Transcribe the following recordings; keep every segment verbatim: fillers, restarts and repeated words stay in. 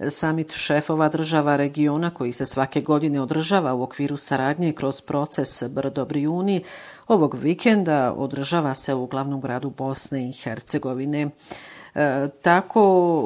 Samit šefova država regiona koji se svake godine održava u okviru saradnje kroz proces Brdo-Brijuni ovog vikenda održava se u glavnom gradu Bosne i Hercegovine. E, tako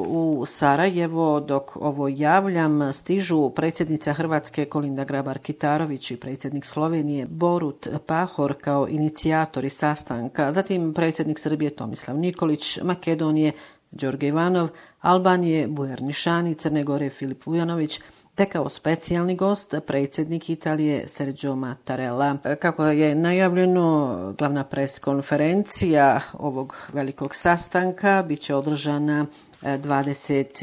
u Sarajevo, dok ovo javljam, stižu predsjednica Hrvatske Kolinda Grabar-Kitarović i predsjednik Slovenije Borut Pahor kao inicijatori sastanka, zatim predsjednik Srbije Tomislav Nikolić, Makedonije Đorđe Ivanov, Albanije Bujar Nišani, Crne Gore Filip Vujanović, te kao specijalni gost predsjednik Italije Sergio Mattarella. Kako je najavljeno, glavna preskonferencija ovog velikog sastanka biće održana dvadeset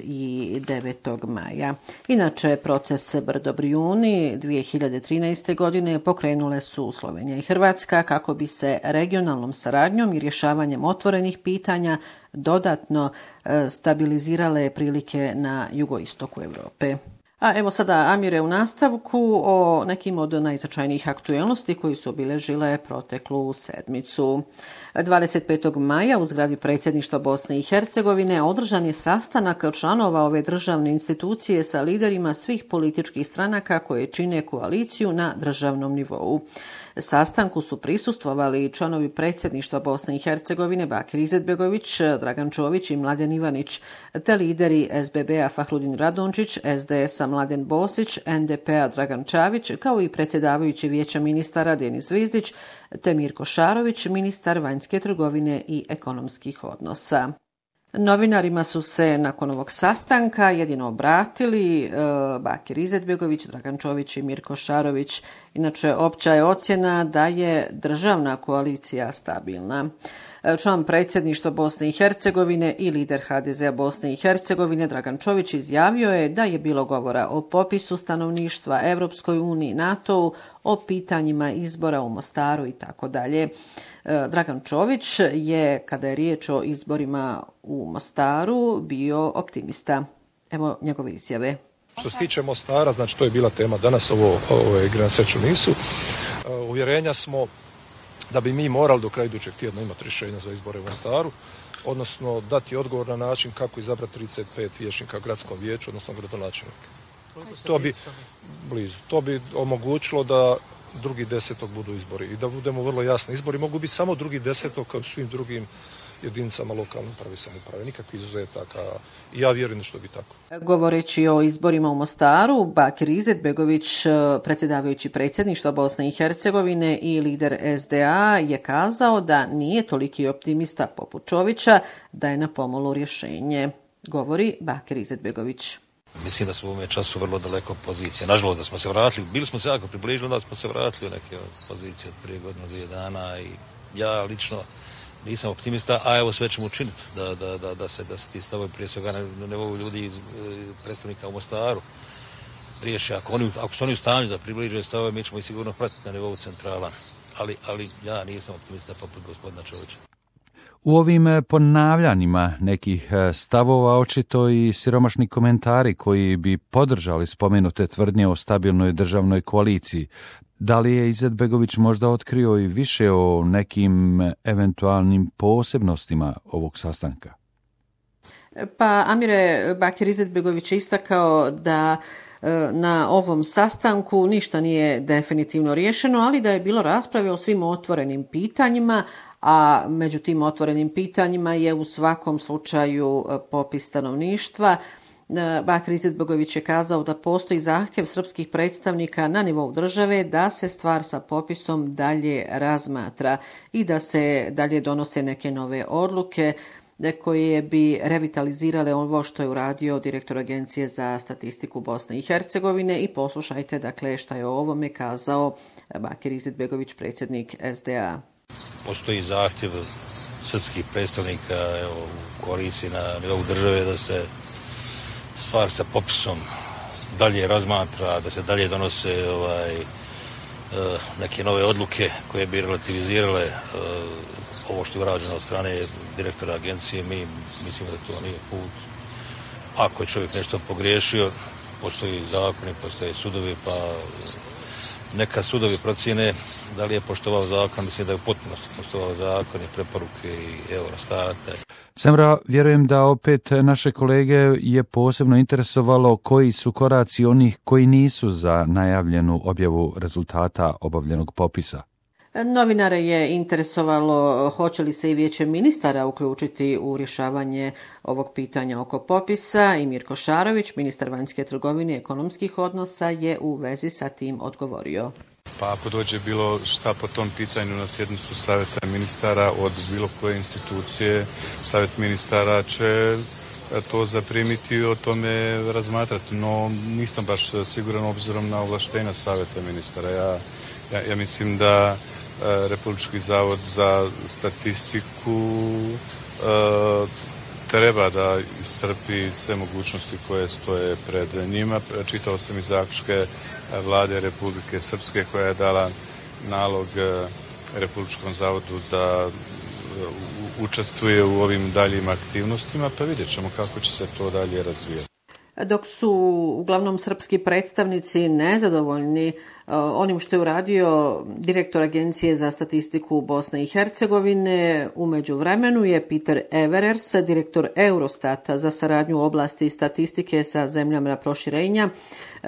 devetog maja. Inače, proces Brdo-Brijuni dvije hiljade trinaeste. godine pokrenule su Slovenija i Hrvatska kako bi se regionalnom saradnjom i rješavanjem otvorenih pitanja dodatno stabilizirale prilike na jugoistoku Europe. A evo sada, Amire, u nastavku o nekim od najznačajnijih aktuelnosti koji su obilježile proteklu sedmicu. dvadeset petog maja u zgradi predsjedništva Bosne i Hercegovine održan je sastanak članova ove državne institucije sa liderima svih političkih stranaka koje čine koaliciju na državnom nivou. Sastanku su prisustvovali članovi predsjedništva Bosne i Hercegovine Bakir Izetbegović, Dragan Čović i Mladen Ivanić, te lideri S B B-a Fahrudin Radončić, S D S-a Mladen Bosić, N D P-a Dragan Čavić, kao i predsjedavajući vijeća ministara Denis Zvizdić, te Mirko Šarović, ministar vanjske trgovine i ekonomskih odnosa. Novinarima su se nakon ovog sastanka jedino obratili e, Bakir Izetbegović, Dragan Čović i Mirko Šarović. Inače, opća je ocjena da je državna koalicija stabilna. Član predsjedništva Bosne i Hercegovine i lider H D Z-a Bosne i Hercegovine Dragan Čović izjavio je da je bilo govora o popisu stanovništva, Evropskoj uniji, NATO-u, o pitanjima izbora u Mostaru i tako dalje. Dragan Čović je, kada je riječ o izborima u Mostaru, bio optimista. Evo njegove izjave. Što se tiče Mostara, znači to je bila tema danas, ovo, ovo igre na sreću nisu. Uvjerenja smo da bi mi morali do kraja idućeg tjedna imati rješenja za izbore u Mostaru, odnosno dati odgovor na način kako izabrati trideset pet vijećnika gradskom vijeću, odnosno gradonačelnika. To bi blizu. To bi omogućilo da drugi desetog budu izbori i da budemo vrlo jasni. Izbori mogu biti samo drugi desetog kao svim drugim jedinicama lokalne uprave i samouprave. Nikakvih izuzetaka i ja vjerujem da što bi tako. Govoreći o izborima u Mostaru, Bakir Izetbegović, predsjedavajući predsjedništva Bosne i Hercegovine i lider S D A, je kazao da nije toliki optimista poput Čovića, da je na pomolu rješenje. Govori Bakir Izetbegović. Mislim da smo u ovome času vrlo daleko pozicije. Nažalost da smo se vratili, bili smo se jako približili, da smo se vratili u neke pozicije od prije godinu, dvije dana i ja lično nisam optimista, a evo sve ćemo učiniti da, da, da, da, se, da se ti stavovi prije svega na nivou ljudi iz predstavnika u Mostaru riješi. Ako, oni, ako su oni u stanju da približe stavove, mi ćemo ih sigurno pratiti na nivou centrala. Ali, ali ja nisam optimista poput gospodina Čovića. U ovim ponavljanjima nekih stavova očito i siromašni komentari koji bi podržali spomenute tvrdnje o stabilnoj državnoj koaliciji. Da li je Izetbegović možda otkrio i više o nekim eventualnim posebnostima ovog sastanka? Pa Amire, Bakir Izetbegović je istakao da na ovom sastanku ništa nije definitivno riješeno, ali da je bilo rasprave o svim otvorenim pitanjima, a među tim otvorenim pitanjima je u svakom slučaju popis stanovništva. Bakir Izetbegović je kazao da postoji zahtjev srpskih predstavnika na nivou države da se stvar sa popisom dalje razmatra i da se dalje donose neke nove odluke koje bi revitalizirale ovo što je uradio direktor Agencije za statistiku Bosne i Hercegovine. I poslušajte dakle šta je o ovome kazao Bakir Izetbegović, predsjednik S D A. Postoji zahtjev srpskih predstavnika evo, u koaliciji na nivou države da se stvar sa popisom dalje razmatra, da se dalje donose ovaj, neke nove odluke koje bi relativizirale ovo što je urađeno od strane direktora agencije. Mi mislimo da to nije put. Ako je čovjek nešto pogriješio, postoji zakoni, postoje sudovi, pa neka sudovi procjene da li je poštovao zakon, mislim da je u potpunosti poštovao zakon i preporuke i Eurostata. Semra, vjerujem da opet naše kolege je posebno interesovalo koji su koraci onih koji nisu za najavljenu objavu rezultata obavljenog popisa. Novinare je interesovalo hoće li se i vijeće ministara uključiti u rješavanje ovog pitanja oko popisa i Mirko Šarović, ministar vanjske trgovine i ekonomskih odnosa, je u vezi sa tim odgovorio. Pa ako dođe bilo šta po tom pitanju na sjednicu savjeta ministara od bilo koje institucije, savjet ministara će to zaprimiti i o tome razmatrati, no nisam baš siguran obzirom na ovlaštenja savjeta ministara. Ja, ja, ja mislim da Republički zavod za statistiku e, treba da iscrpi sve mogućnosti koje stoje pred njima. Čitao sam i zaključke vlade Republike Srpske koja je dala nalog Republičkom zavodu da učestvuje u ovim daljim aktivnostima, pa vidjet ćemo kako će se to dalje razvijati. Dok su uglavnom srpski predstavnici nezadovoljni onim što je uradio direktor Agencije za statistiku Bosne i Hercegovine, u međuvremenu je Peter Everers, direktor Eurostata za saradnju u oblasti statistike sa zemljama proširenja,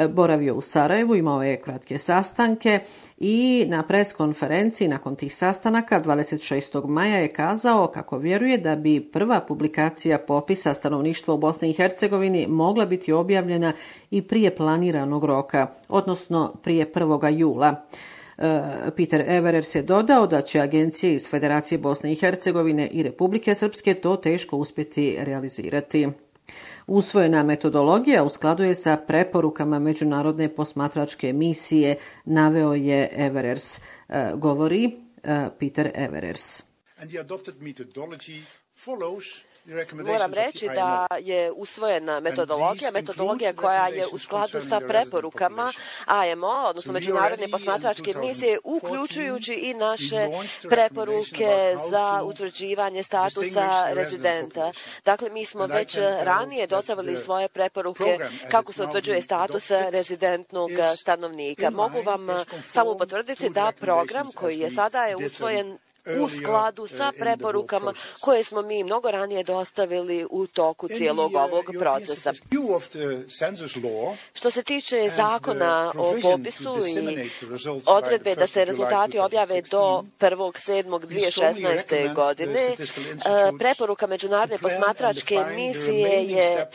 boravio u Sarajevu, imao je kratke sastanke i na pres konferenciji nakon tih sastanaka dvadeset šestog maja je kazao kako vjeruje da bi prva publikacija popisa stanovništva u Bosni i Hercegovini mogla biti objavljena i prije planiranog roka, odnosno prije prvoga jula. Peter Everers je dodao da će agencije iz Federacije Bosne i Hercegovine i Republike Srpske to teško uspjeti realizirati. Usvojena metodologija u skladu je sa preporukama međunarodne posmatračke misije, naveo je Everers, govori Peter Everers. And the adopted methodology follows Moram reći da je usvojena metodologija, metodologija koja je u skladu sa preporukama A M O, odnosno Međunarodne posmatračke misije, uključujući i naše preporuke za utvrđivanje statusa rezidenta. Dakle, mi smo već ranije dostavili svoje preporuke kako se utvrđuje status rezidentnog stanovnika. Mogu vam samo potvrditi da program koji je sada je usvojen u skladu sa preporukama koje smo mi mnogo ranije dostavili u toku cijelog ovog procesa. Što se tiče zakona o popisu i odredbe da se rezultati objave do prvog sedmog dvije tisuće šesnaeste. godine, preporuka Međunarodne posmatračke misije je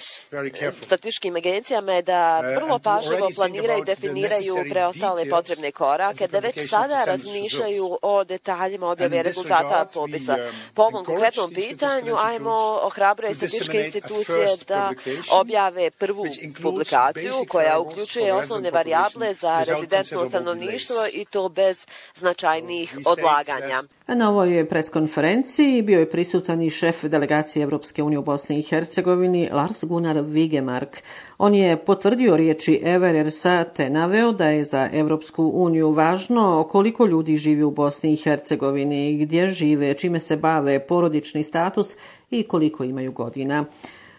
statističkim agencijama je da vrlo pažljivo planiraju i definiraju preostale potrebne korake, da već sada razmišljaju o detaljima objave rezultata popisa. Po ovom konkretnom pitanju A M O ohrabruje statističke institucije da objave prvu publikaciju koja uključuje osnovne varijable za rezidentno stanovništvo i to bez značajnih odlaganja. Na ovoj preskonferenciji bio je prisutan i šef delegacije Evropske unije u Bosni i Hercegovini Lars Gunnar Vigemark. On je potvrdio riječi Everersa te naveo da je za Evropsku uniju važno koliko ljudi živi u Bosni i Hercegovini, gdje žive, čime se bave, porodični status i koliko imaju godina.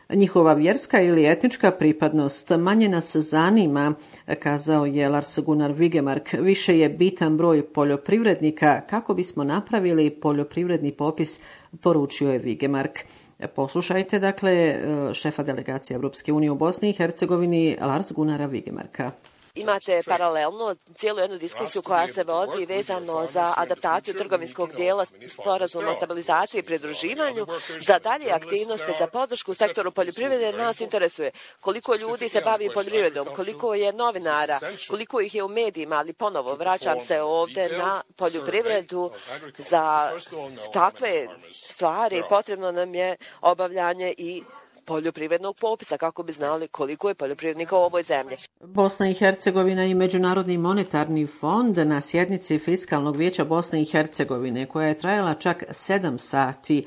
Njihova vjerska ili etnička pripadnost manje nas zanima, kazao je Lars Gunnar Vigemark. Više je bitan broj poljoprivrednika kako bismo napravili poljoprivredni popis, poručio je Vigemark. Poslušajte, dakle, šefa delegacije Evropske unije u Bosni i Hercegovini, Lars Gunnara Vigemarka. Imate paralelno cijelu jednu diskusiju koja se vodi vezano za adaptaciju trgovinskog dijela sporazuma o stabilizaciji i pridruživanju. Za dalje aktivnosti za podršku sektoru poljoprivrede nas interesuje koliko ljudi se bavi poljoprivredom, koliko je novinara, koliko ih je u medijima, ali ponovo vraćam se ovdje na poljoprivredu. Za takve stvari potrebno nam je obavljanje i poljoprivrednog popisa kako bi znali koliko je poljoprivrednika u ovoj zemlji. Bosna i Hercegovina i Međunarodni monetarni fond na sjednici Fiskalnog vijeća Bosne i Hercegovine, koja je trajala čak sedam sati,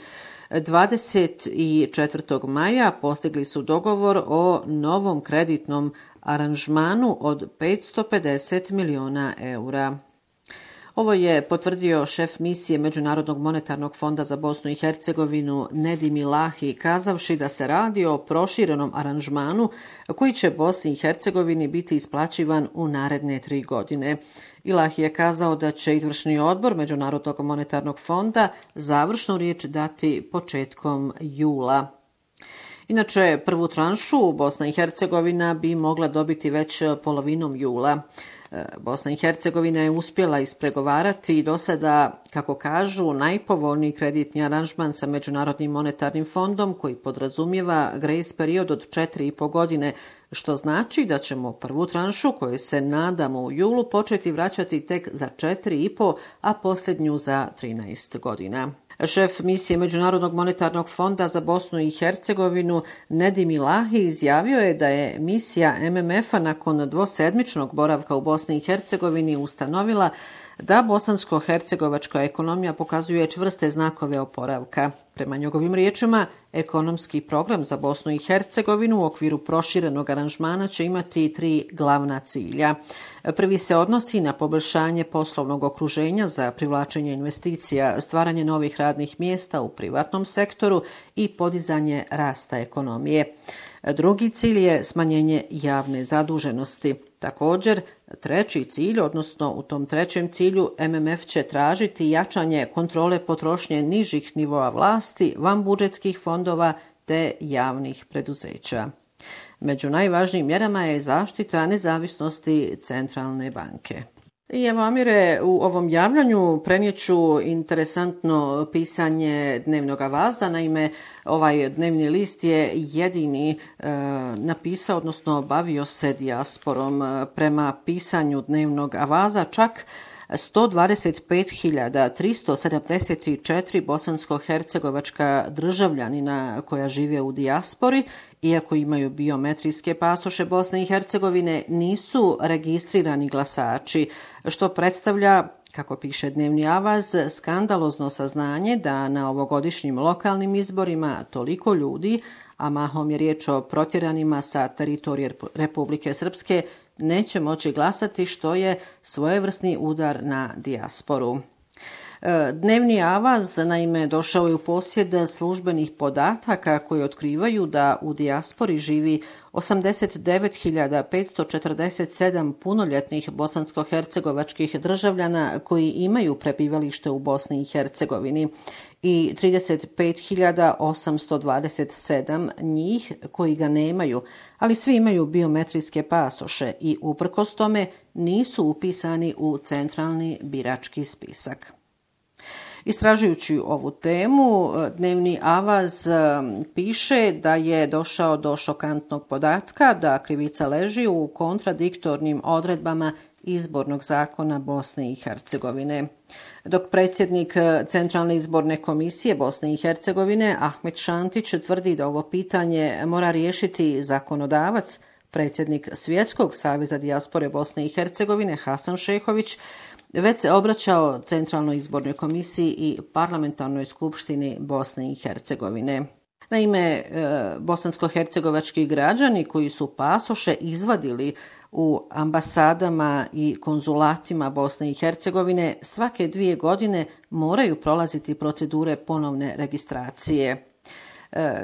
dvadeset četvrtog maja postigli su dogovor o novom kreditnom aranžmanu od petsto pedeset miliona eura. Ovo je potvrdio šef misije Međunarodnog monetarnog fonda za Bosnu i Hercegovinu Nedim Ilahi, kazavši da se radi o proširenom aranžmanu koji će Bosni i Hercegovini biti isplaćivan u naredne tri godine. Ilahi je kazao da će izvršni odbor Međunarodnog monetarnog fonda završnu riječ dati početkom jula. Inače, prvu tranšu Bosna i Hercegovina bi mogla dobiti već polovinom jula. Bosna i Hercegovina je uspjela ispregovarati do sada, kako kažu, najpovoljniji kreditni aranžman sa Međunarodnim monetarnim fondom koji podrazumijeva grace period od četiri i po godine, što znači da ćemo prvu tranšu koju se nadamo u julu početi vraćati tek za četiri i po, a posljednju za trinaest godina. Šef misije Međunarodnog monetarnog fonda za Bosnu i Hercegovinu Nedim Ilahi izjavio je da je misija M M F-a nakon dvosedmičnog boravka u Bosni i Hercegovini ustanovila da bosansko-hercegovačka ekonomija pokazuje čvrste znakove oporavka. Prema njegovim riječima, ekonomski program za Bosnu i Hercegovinu u okviru proširenog aranžmana će imati tri glavna cilja. Prvi se odnosi na poboljšanje poslovnog okruženja za privlačenje investicija, stvaranje novih radnih mjesta u privatnom sektoru i podizanje rasta ekonomije. Drugi cilj je smanjenje javne zaduženosti. Također, treći cilj, odnosno u tom trećem cilju, M M F će tražiti jačanje kontrole potrošnje nižih nivoa vlasti, vanbudžetskih fondova te javnih preduzeća. Među najvažnijim mjerama je zaštita nezavisnosti centralne banke. I evo, Amire, u ovom javljanju prenijeću interesantno pisanje Dnevnog avaza. Naime, ovaj dnevni list je jedini e, napisao, odnosno bavio se dijasporom. Prema pisanju Dnevnog avaza čak sto dvadeset pet hiljada tristo sedamdeset četiri bosansko-hercegovačka državljanina koja žive u dijaspori, iako imaju biometrijske pasoše Bosne i Hercegovine, nisu registrirani glasači, što predstavlja, kako piše Dnevni avaz, skandalozno saznanje da na ovogodišnjim lokalnim izborima toliko ljudi, a mahom je riječ o protjeranima sa teritorije Republike Srpske, neće moći glasati, što je svojevrsni udar na dijasporu. Dnevni avaz, naime, došao je u posjed službenih podataka koji otkrivaju da u dijaspori živi osamdeset devet hiljada petsto četrdeset sedam punoljetnih bosansko-hercegovačkih državljana koji imaju prebivalište u Bosni i Hercegovini i trideset pet hiljada osamsto dvadeset sedam njih koji ga nemaju, ali svi imaju biometrijske pasoše i uprkos tome nisu upisani u centralni birački spisak. Istražujući ovu temu, Dnevni avaz piše da je došao do šokantnog podatka da krivica leži u kontradiktornim odredbama izbornog zakona Bosne i Hercegovine. Dok predsjednik Centralne izborne komisije Bosne i Hercegovine Ahmet Šantić tvrdi da ovo pitanje mora riješiti zakonodavac, predsjednik Svjetskog saveza dijaspore Bosne i Hercegovine Hasan Šehović već se obraćao Centralnoj izbornoj komisiji i Parlamentarnoj skupštini Bosne i Hercegovine. Naime, bosansko-hercegovački građani koji su pasoše izvadili u ambasadama i konzulatima Bosne i Hercegovine svake dvije godine moraju prolaziti procedure ponovne registracije.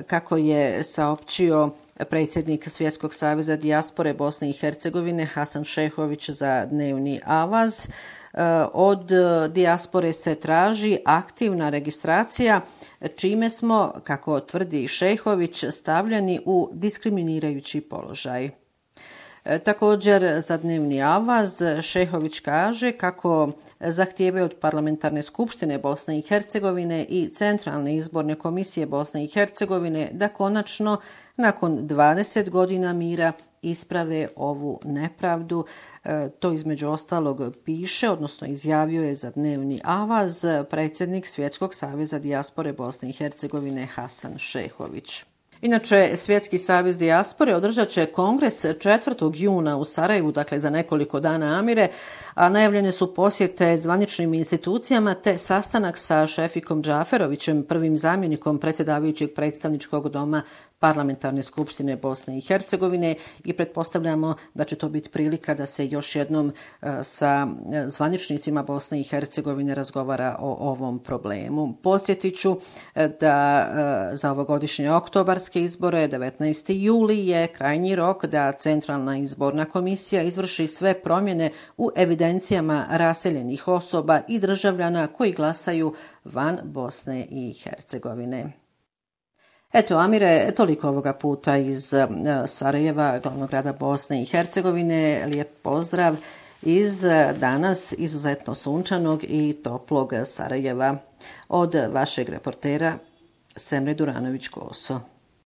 Kako je saopćio predsjednik Svjetskog saveza dijaspore Bosne i Hercegovine Hasan Šehović za Dnevni avaz, od dijaspore se traži aktivna registracija, čime smo, kako tvrdi Šehović, stavljeni u diskriminirajući položaj. Također, za Dnevni avaz Šehović kaže kako zahtijevaju od Parlamentarne skupštine Bosne i Hercegovine i Centralne izborne komisije Bosne i Hercegovine da konačno, nakon dvadeset godina mira, isprave ovu nepravdu. To između ostalog piše, odnosno izjavio je za Dnevni avaz predsjednik Svjetskog saveza dijaspore Bosne i Hercegovine Hasan Šehović. Inače, Svjetski savez dijaspore održat će kongres četvrtog juna u Sarajevu, dakle za nekoliko dana, Amire, a najavljene su posjete zvaničnim institucijama te sastanak sa Šefikom Džaferovićem, prvim zamjenikom predsjedavajućeg predstavničkog doma Parlamentarne skupštine Bosne i Hercegovine i pretpostavljamo da će to biti prilika da se još jednom sa zvaničnicima Bosne i Hercegovine razgovara o ovom problemu. Podsjetit ću da za ovogodišnje oktobarske izbore devetnaesti juli je krajnji rok da Centralna izborna komisija izvrši sve promjene u evidencijama raseljenih osoba i državljana koji glasaju van Bosne i Hercegovine. Eto, Amire, toliko ovoga puta iz Sarajeva, glavnog grada Bosne i Hercegovine. Lijep pozdrav iz danas izuzetno sunčanog i toplog Sarajeva. Od vašeg reportera Semre Duranović-Koso.